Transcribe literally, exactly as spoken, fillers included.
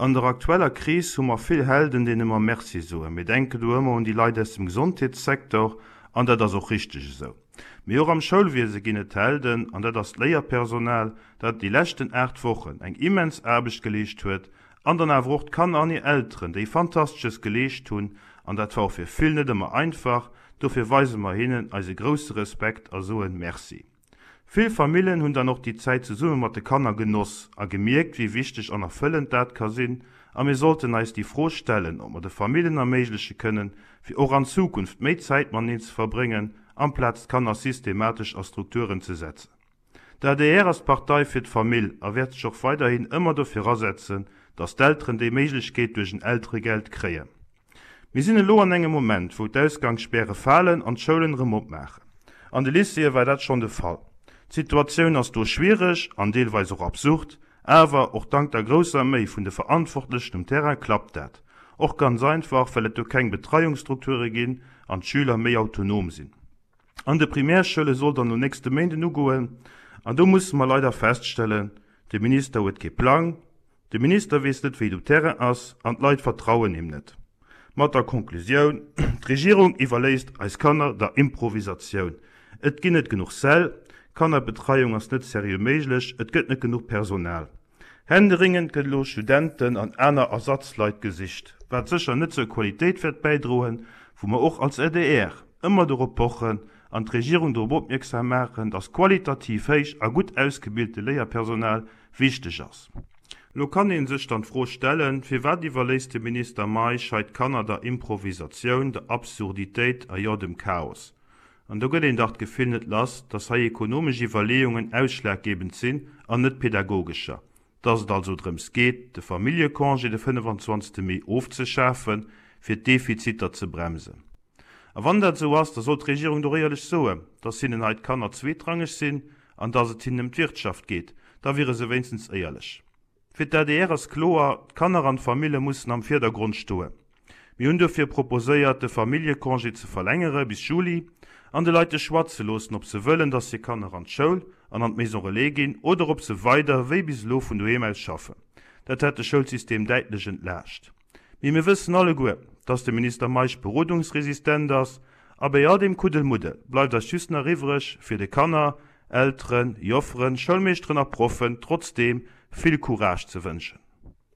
An der aktueller Kris hu mer vill Helden, deene mer Merci soen. Mir denken do ëmmer un déi Leit aus dem Gesondheetssecteur, an dat ass och richteg esou. Mee och am Schoulwiese ginn et Helden, an dat ass d'Léierpersonal, dat déi leschten aacht Wochen eng immens Aarbecht geleescht huet, an dann awer och d'Kanner an hir Elteren, déi Fantastesches geleescht hunn, an dat war och fir vill net ëmmer einfach. Dofir weise mer hinnen eise grousse Respekt a soen Merci. Vill Famillen hunn dann och déi Zäit zesumme mat de Kanner genoss a gemierkt, wéi wichteg an erfëllend dat ka sinn. A mir sollten eis déi Fro stellen, ob mer de Famillen erméigleche kënnen, fir och an Zukunft méi Zäit mateneen ze verbréngen, amplaz d'Kanner systematesch a Strukturen ze setzen. D'adr ass d'Partei fir d'Famill a wäert sech och weiderhin ëmmer dofir asetzen, datt d'Elteren déi Méiglechkeet duerch en Elteregeld kréien. Mir sinn elo an engem Moment, wou d'Ausgangsspäre falen an d'Schoulen erëm opmaachen. An de Lycéeë war dat schonn de Fall. D'Situatioun ass do schwiereg an deelweis och absurd, awer och dank der grousser Méi vun de Verantwortlechen um Terrain klappt dat. Och ganz einfach, well et do keng Betreiungsstrukture ginn an d'Schüler méi autonom sinn. An de Primärschoule soll dann no nächste Méinden ugoen an do musse mer leider feststellen, De Minister huet kee Plang, de Minister weess net, wéi et um Terrain ass an d'Leit vertrauen him net. Mat der Konklusioun, D'Regierung iwwerléisst eis Kanner der Improvisatioun. Et ginn net genuch Säll, Kannerbetreiung ass net seriö méiglech, et gëtt net genuch Personal. Händeringend gëtt elo Studenten an aner Ersatzleit gesicht, wat sécher net zur Qualitéit wäert bäidroen, wou mer och als adr ëmmer dorop pochen an d'Regierung dorop opmierksam maachen, dass qualitativ héich a gutt ausgebilte Léierpersonal wichteg ass. Lo kann ee sech dann d'Fro stellen, Firwat iwwerléisst de Minister Meisch hei d'Kanner der Improvisatioun, der Absurditéit a jo dem Chaos? An do gëtt een dach d'Gefill net lass, dass hei ekonomesch Iwwerleeungen ausschlaggebend sinn an net pädagogescher. Dass et also drëms geet, de Familljecongé de fënnefenzwanzegste Mee ofzeschafen, fir d'Defiziter ze bremsen. A wann dat esou ass, da soll d'Regierung et och éierlech soen, dass hinnen hei d'Kanner zweetrangeg sinn an dass et hinnen ëm d'Wirtschaft geet. Da wiere se wéinstens éierlech. Fir d'ADR ass kloer, D'Kanner an d'Famille mussen am Virdergrond stoen. Mir hunn dofir proposéiert, de Familljecongé ze verlängere bis Juli an de Leit de Choix ze loossen, ob se wëllen, dass hir Kanner an d'Schoul an an d'Maison Relais ginn oder ob se weider wéi bis elo vun doheem aus schaffen. Dat hätt de Schoulsystem däitlech entlaascht. Mee mir wëssen alleguer, dass de Minister Meisch berodungsresistent ass a bei all deem Kuddelmuddel bleift eis just nach iwwreg, fir de Kanner, Elteren, Jofferen, Schoulmeeschteren a Proffen trotzdeem vill Courage ze wënschen.